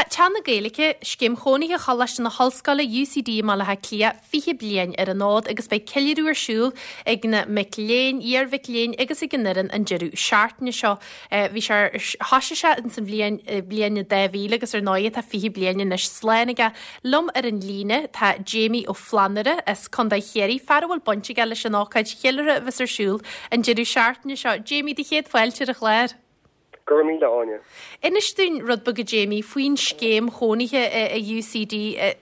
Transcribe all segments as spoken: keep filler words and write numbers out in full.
Tá Teach na Gaeilge, scéim chónaithe Choláiste na hOllscoile UCD i mBaile Átha Cliath fiche bliain ar an fhód agus beidh ceiliúradh ar siúl ag na mic léinn, iarmhic léinn agus ag an fhoireann an deireadh seachtaine seo. Bhí sé thosaigh sé ins an bhliain bliain dhá mhíle agus ar ndóigh tá fiche bliain anois slán aige. Liom ar an líne tá Jamie Ó Flannúra as Contae Chiarraí, fear a bhfuil baint aige leis an ócáid cheiliúrtha a bheas ar siúl an deireadh seachtaine seo. Jamie, do chéad fáilte ar an chlár. Go raibh míle Áine. Inis dúinn rud beag a Jamie faoin scéim chónaithe i UCD.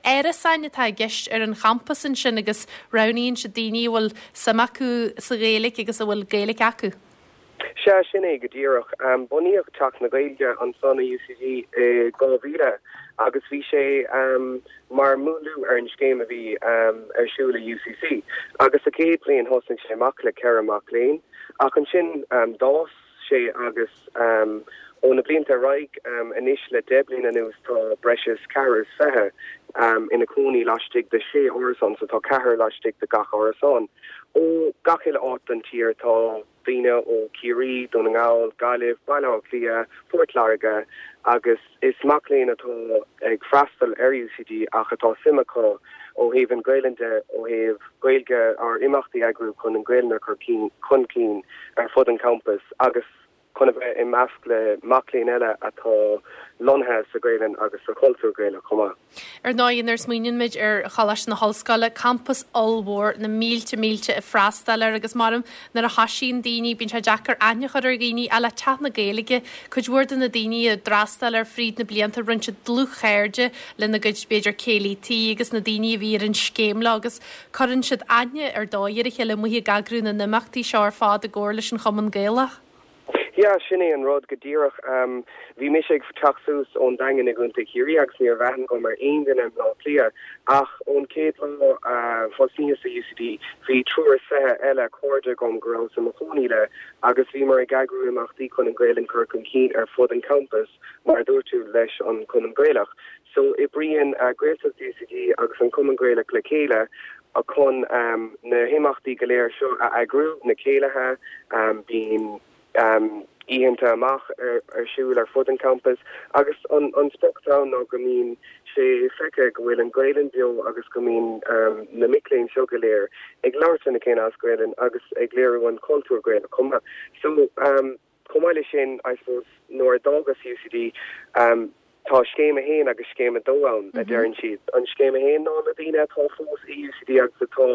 Árasáin atá i gceist ar an champas ansin agus roghnaíonn siad daoine a bhfuil suim acu sa Ghaeilge agus a bhfuil Gaeilge acu. Sea, sin é go díreach. Bunaíodh Teach na Gaeilge ansan i UCD i dhá mhíle agus bhí sé mar múnlú ar an scéim a bhí ar siúl i UCC. Agus sa chéad bhliain thosaigh sé amach le ceithre mac léinn ach ansin d'fhás sé agus ó na blianta ar aghaidh anois le deich bliana anuas tá breis is ceathrar is fiche ina cónaí laistigh de sé árasán, so tá ceathrar laistigh de gach árasán. Ó gach uile áit den tír tá daoine ó Chiarraí, Dún na nGall, Gaillimh, Baile Átha Cliath, Port Láirge agus is mac léinn atá ag freastal ar UCD ach atá suim acu ó thaobh an Ghaelainn de, ó thaobh Gaeilge ar imeachtaí a eagrú chun an Ghaelainn a chur chun cinn ar fud an campus agus chun a bheith i measc le mac léinn eile atá lonnaithe sa Ghaelainn agus sa chultúr Gaelach chomh maith. Ar ndóigh, nuair a smaoiníonn muid ar Choláiste na hOllscoile, campas ollmhór, na mílte mílte ag freastal air agus maram nuair a thosaíonn daoine, bíonn sé deacair aithne a chur ar dhaoine, ach le Teach na Gaeilge, cuid mhór de na daoine a d'fhreastail air fríd na blianta, rinne siad dlúthchairde lena gcuid b'fhéidir céilí tí agus na daoine a bhí ar an scéim leo agus cuireann siad aithne ar dóigh ar a chéile amuigh ag eagrú na n-imeachtaí seo ar fad i gcomhar leis an Chumann Gaelach. Yeah, sin é an rud go díreach. Um, bhí mise ag teacht suas ón Daingean i gContae Chiarraí agus ní raibh aithne agam ar aon duine i mBleá Cliath ach ón chéad lá uh, thosnaíos sa UCD bhí triúr is fiche eile cairde agam go raibh i mo chónaí le agus bhíomar ag eagrú imeachtaí chun an Ghaelainn chur chun cinn ar fud an campus mar a dúirt tú leis an Cumann Gaelach. So oibríonn uh, Gaeltacht UCD agus an Cumann Gaelach le chéile a chun um, na himeachtaí go léir seo a eagrú na céilithe um, bíonn um, oícheanta amach ar, ar siúl ar fud an campus agus an, an sprioc ná go mbíonn sé feicthe go bhfuil an Ghaelainn beo agus go mbíonn um, na mic léinn seo go léir ag labhairt lena chéile as Gaelainn agus ag léiriú an cultúr Gaelach chomh maith. So um, chomh maith leis sin I suppose nuair a d'fhágas UCD um, tá scéim a haon agus scéim a dó ann mm -hmm. a deireann siad. An scéim a haon ná na daoine atá fós i UCD agus atá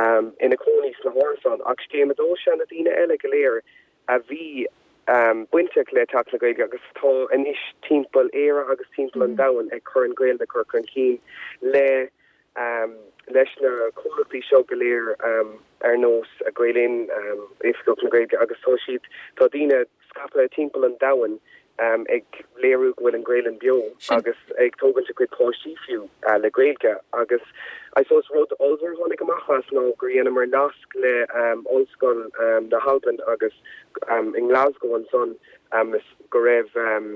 um, ina cónaí sna hárasáin ach scéim a dó sé na daoine eile go léir a bhí um, bainteach le Teach na Gaeilge agus tá anois timpeall Éire agus timpeall mm. an domhain ag cur an Ghaeilge cur chun cinn le um, leis na comhlachtaí seo go léir um, ar nós a Gael-Linn um, Oifigeach na Gaeilge agus tá siad tá daoine scaipthe timpeall an domhain um, ag léiriú go bhfuil an Ghaelainn beo agus ag tógaint a gcuid páistí fiú uh, le Gaeilge agus I suppose rud ollmhór tháinig amach as ná gur dheineamar nasc le um, Ollscoil um, na hAlban agus um, in Glasgow ansan um, go raibh um,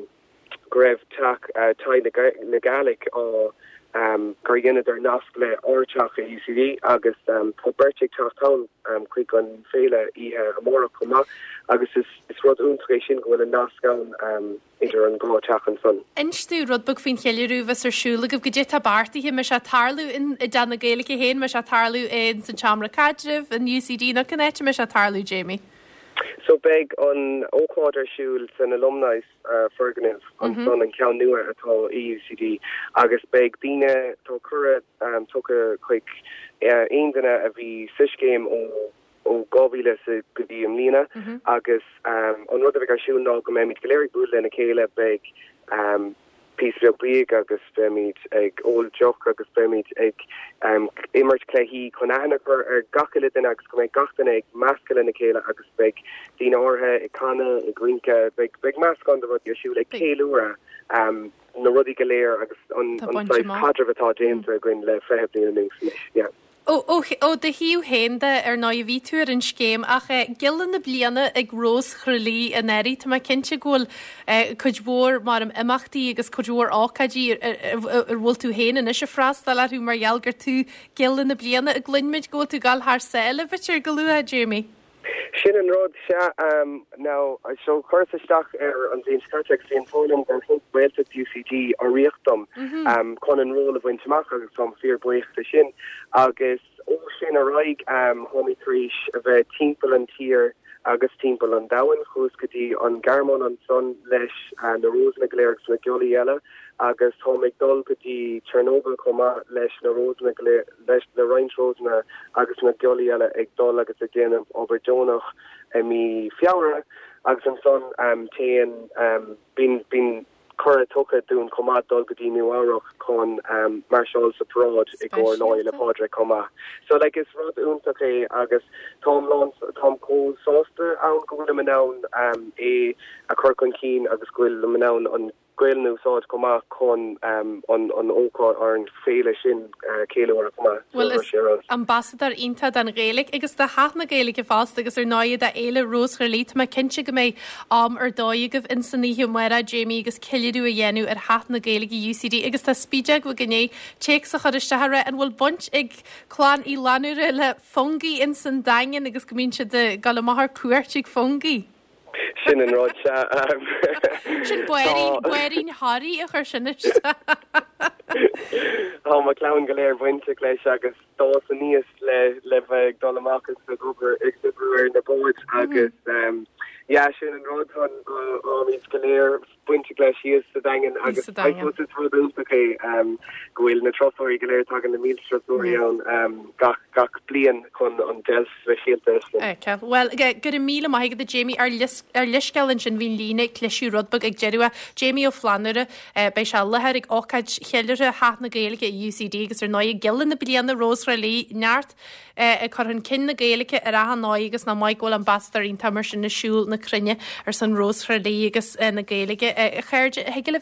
go raibh teach uh, Tigh na Gaelic á um, gur dheineadar nasc le ár dteach i UCD agus um, tá beirt ag teacht ann um, chuig an féile oíche amárach chomh maith agus is, is rud iontach é sin go bhfuil an nasc ann um, idir an dhá teach ansan. Inis dúinn rud beag faoin cheiliúradh a bheas ar siúl agaibh goidé tá beartaithe mbeidh sé ag tarlú in i dTeach na Gaeilge féin mbeidh sé ag tarlú in san seomra caidrimh in UCD nó cén áit mbeidh sé ag tarlú Jamie. So beidh an ócáid ar siúl san alumni uh, foirgneamh an mm -hmm. san an ceann nua atá i UCD agus beidh daoine tá cuireadh um, tugtha chuig uh, aon duine a bhí sa scéim ó ó dhá mhíle go dtí i mbliana mm -hmm. agus um, an rud a bheidh ar siúl ná go mbeimid go léir ag bualadh lena chéile beidh um, píosa beag bídh agus beimid ag ól deoch agus beimid ag um, imirt cluichí chun aithne a chur ar gach uile duine agus go mbeidh gach duine ag meascadh lena chéile agus beidh daoine áirithe ag canadh ag rince beidh beidh meascán de rudaí ar siúl ag ceiliúradh um, na rudaí go léir agus an an caidreamh atá déanta againn le fiche bliain anuas. Yeah. Ó ó do thaobh féin de ar ndóigh bhí tú ar an scéim ach eh, Giolla na bliana ag Rós Chroí anuraidh Tá mé cinnte go bhfuil eh, cuid mhór mar imeachtaí agus cuid mhór ócáidí ar bhfuil tú féin anois ag freastal orthu mar gheall gur tú Giolla na bliana a gcluinimid go bhfuil tú ag dul thar sáile b'fhéidir go luath Jamie. Sin an rud sea um, now so chuireas isteach ar an bhliain seo caite bhí an t-ádh liom gur thug Gaeltacht UCD urraíocht dom mm -hmm. um, chun an ról a bhaint amach agus táim fíorbhuíoch de sin agus ó sin ar aghaidh um, tháimid tar éis a bheith timpeall an tír agus timpeall an domhain chuas go dtí an Ghearmáin ansan leis uh, na Rósanna go léir agus na giollaí eile agus táim ag dul go dtí Chernobyl chomh maith leis na Rósanna leis na roinnt Rósanna agus na giollaí eile ag dul agus ag déanamh obair deonach i mí Feabhra agus ansan um, téann um, bíonn bíonn cuireadh tugtha dúinn chomh maith dul go dtí Nua-Eabhrac chun um, máirseáil sa paráid i gcomhair Lá Fhéile Pádraig chomh maith. So like, is rud iontach é agus táim táim chomh sásta ann go bhfuil in ann um, é a chur chun cinn agus go bhfuil in ann an Ghaeilge a úsáid chomh maith chun um, an an ócáid ar an féile sin uh, ceiliúradh chomh maith. Well is ambasadóir iontach don Ghaeilge agus do theach na Gaeilge fosta agus ar ndóigh do Fhéile Rós Thrá Lí Tá cinnte go mbeidh am ar dóigh agaibh in san oíche amárach Jamie agus ceiliúradh a dhéanamh ar theach na Gaeilge UCD agus tá spídeag gné téacs a chur isteach an bhfuil baint ag clann Uí Fhlannúra le Fungie in san Daingean agus go mbíonn siad ag dul amach ar cuairt ag Fungie. Sin an rud Sin buirín Harry a chur sin Tá mo chlann go léir bainteach leis agus d'fhás aníos le le bheith ag dul amach ag obair ag obair ar na báid agus um, ja sin an rud táimid go léir bainteach leis thíos sa Daingean agus rud iontach é um, go bhfuil na turasóirí go léir tagann na mílte turasóirí ann um, gach gach bliain chun an deil speisialta. Well go raibh míle maith agat Jamie ar ar leithscéal ansin bhí líne cliseadh rud beag ag deireadh Jamie Ó Flannúra beidh sé i láthair ag ócáid cheiliúrtha Theach na Gaeilge UCD agus ar ndóigh Giolla na bliana Rós Thrá Lí neart ag cur chun cinn na Gaeilge ar achan ndóigh agus nach maith go bhfuil ambasadóir iontach mar sin ag siúl na cruinne ar son Rós Thrá Lí agus na Gaeilge a chairde thig libh